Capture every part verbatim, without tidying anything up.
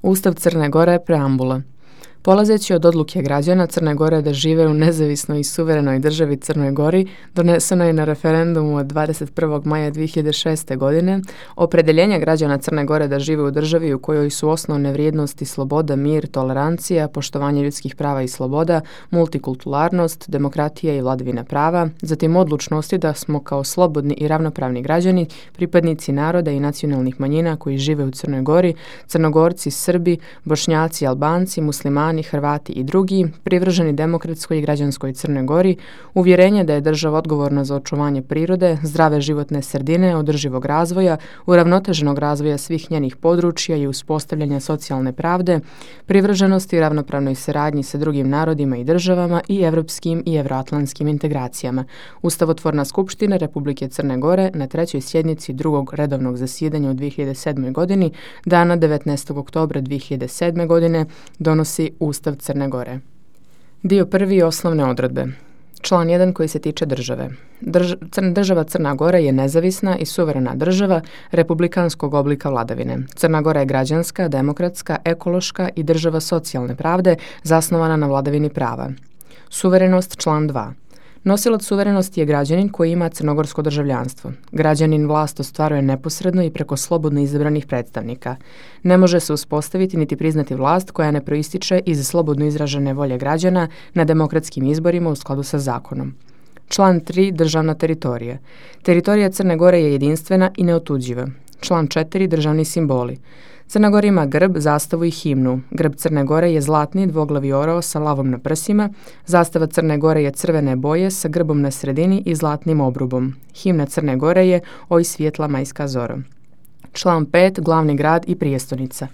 Ustav Crne Gore, preambula. Polazeći od odluke građana Crne Gore da žive u nezavisnoj i suverenoj državi Crnoj Gori, doneseno je na referendumu od dvadeset prvog maja dvije hiljade šeste. godine, opredeljenje građana Crne Gore da žive u državi u kojoj su osnovne vrijednosti sloboda, mir, tolerancija, poštovanje ljudskih prava i sloboda, multikulturalnost, demokratija i vladavina prava, zatim odlučnosti da smo kao slobodni i ravnopravni građani, pripadnici naroda i nacionalnih manjina koji žive u Crnoj Gori, Crnogorci, Srbi, Bošnjaci, Albanci, muslimani, Hrvati i drugi, privrženi demokratskoj i građanskoj Crnoj Gori, uvjerenje da je država odgovorna za očuvanje prirode, zdrave životne sredine, održivog razvoja, uravnoteženog razvoja svih njenih područja i uspostavljanja socijalne pravde, privrženosti i ravnopravnoj saradnji sa drugim narodima i državama i evropskim i evroatlantskim integracijama. Ustavotvorna skupština Republike Crne Gore na trećoj sjednici drugog redovnog zasjedanja u dvije hiljade sedmoj. godini, dana devetnaestog oktobra dvije hiljade sedme. godine, donosi Ustav Crne Gore. Dio prvi, osnovne odredbe. Član jedan koji se tiče države. Drž- Crn- država Crna Gora je nezavisna i suverena država republikanskog oblika vladavine. Crna Gora je građanska, demokratska, ekološka i država socijalne pravde zasnovana na vladavini prava. Suverenost, član dva. Nosilac suverenosti je građanin koji ima crnogorsko državljanstvo. Građanin vlast ostvaruje neposredno i preko slobodno izabranih predstavnika. Ne može se uspostaviti niti priznati vlast koja ne proističe iz slobodno izražene volje građana na demokratskim izborima u skladu sa zakonom. Član tri. Državna teritorija. Teritorija Crne Gore je jedinstvena i neotuđiva. Član četiri. Državni simboli. Crna Gora ima grb, zastavu i himnu. Grb Crne Gore je zlatni dvoglavi orao sa lavom na prsima. Zastava Crne Gore je crvene boje sa grbom na sredini i zlatnim obrubom. Himna Crne Gore je Oj svjetla majska zoro. Član pet. Glavni grad i prijestonica.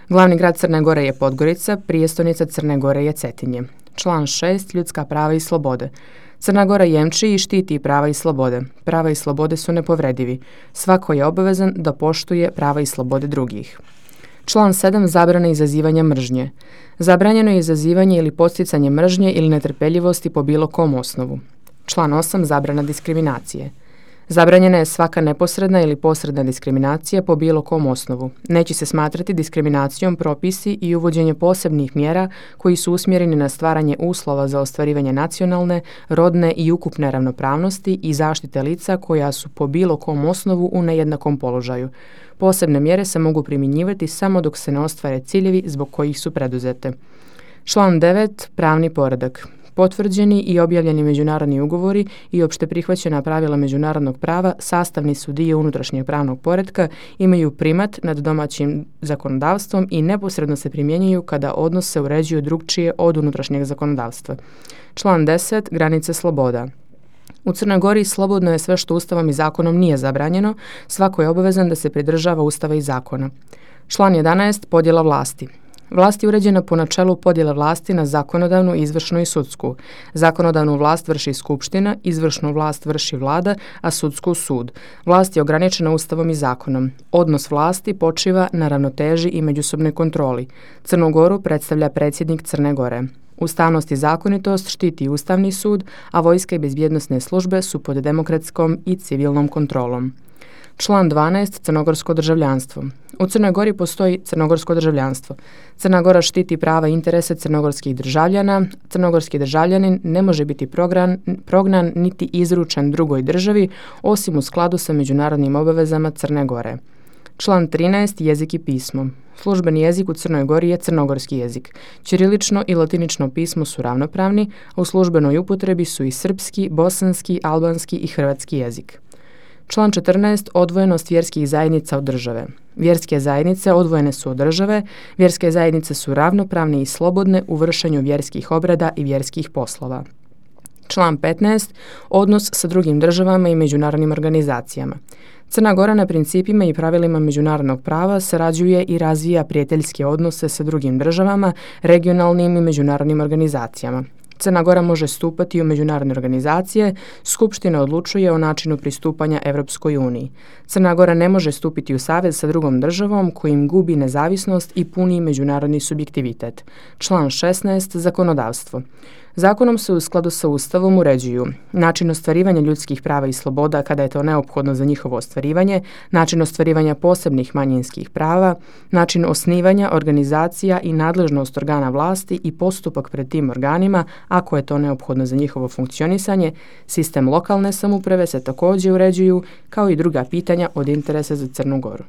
Glavni grad Crne Gore je Podgorica, prijestonica Crne Gore je Cetinje. Član šest. Ljudska prava i slobode. Crna Gora jemči i štiti prava i slobode. Prava i slobode su nepovredivi. Svako je obavezan da poštuje prava i slobode drugih. Član sedam. Zabrana izazivanja mržnje. Zabranjeno je izazivanje ili podsticanje mržnje ili netrpeljivosti po bilo kom osnovu. Član osam. Zabrana diskriminacije. Zabranjena je svaka neposredna ili posredna diskriminacija po bilo kom osnovu. Neće se smatrati diskriminacijom propisi i uvođenje posebnih mjera koji su usmjereni na stvaranje uslova za ostvarivanje nacionalne, rodne i ukupne ravnopravnosti i zaštite lica koja su po bilo kom osnovu u nejednakom položaju. Posebne mjere se mogu primjenjivati samo dok se ne ostvare ciljevi zbog kojih su preduzete. Član devet. Pravni poredak. Potvrđeni i objavljeni međunarodni ugovori i opšte prihvaćena pravila međunarodnog prava sastavni su dio unutrašnjeg pravnog poretka, imaju primat nad domaćim zakonodavstvom i neposredno se primjenjuju kada odnos se uređuju drukčije od unutrašnjeg zakonodavstva. Član deset. Granice sloboda. U Crnoj Gori slobodno je sve što Ustavom i zakonom nije zabranjeno, svako je obavezan da se pridržava Ustava i zakona. Član jedanaest. Podjela vlasti. Vlast je uređena po načelu podjele vlasti na zakonodavnu, izvršnu i sudsku. Zakonodavnu vlast vrši skupština, izvršnu vlast vrši vlada, a sudsku sud. Vlast je ograničena Ustavom i zakonom. Odnos vlasti počiva na ravnoteži i međusobnoj kontroli. Crnu Goru predstavlja predsjednik Crne Gore. Ustavnost i zakonitost štiti Ustavni sud, a vojska i bezbjednosne službe su pod demokratskom i civilnom kontrolom. Član dvanaest. Crnogorsko državljanstvo. U Crnoj Gori postoji crnogorsko državljanstvo. Crna Gora štiti prava i interese crnogorskih državljana. Crnogorski državljanin ne može biti prognan, prognan niti izručen drugoj državi, osim u skladu sa međunarodnim obavezama Crne Gore. Član trinaest. Jezik i pismo. Službeni jezik u Crnoj Gori je crnogorski jezik. Ćirilično i latinično pismo su ravnopravni, a u službenoj upotrebi su i srpski, bosanski, albanski i hrvatski jezik. Član četrnaest. Odvojenost vjerskih zajednica od države. Vjerske zajednice odvojene su od države, vjerske zajednice su ravnopravne i slobodne u vršenju vjerskih obreda i vjerskih poslova. Član petnaest. Odnos sa drugim državama i međunarodnim organizacijama. Crna Gora na principima i pravilima međunarodnog prava sarađuje i razvija prijateljske odnose sa drugim državama, regionalnim i međunarodnim organizacijama. Crna Gora može stupati u međunarodne organizacije, Skupština odlučuje o načinu pristupanja Evropskoj uniji. Crna Gora ne može stupiti u savez sa drugom državom kojim gubi nezavisnost i puni međunarodni subjektivitet. Član šesnaest. Zakonodavstvo. Zakonom se u skladu sa Ustavom uređuju način ostvarivanja ljudskih prava i sloboda kada je to neophodno za njihovo ostvarivanje, način ostvarivanja posebnih manjinskih prava, način osnivanja organizacija i nadležnost organa vlasti i postupak pred tim organima ako je to neophodno za njihovo funkcionisanje, sistem lokalne samouprave se također uređuju kao i druga pitanja od interesa za Crnu Goru.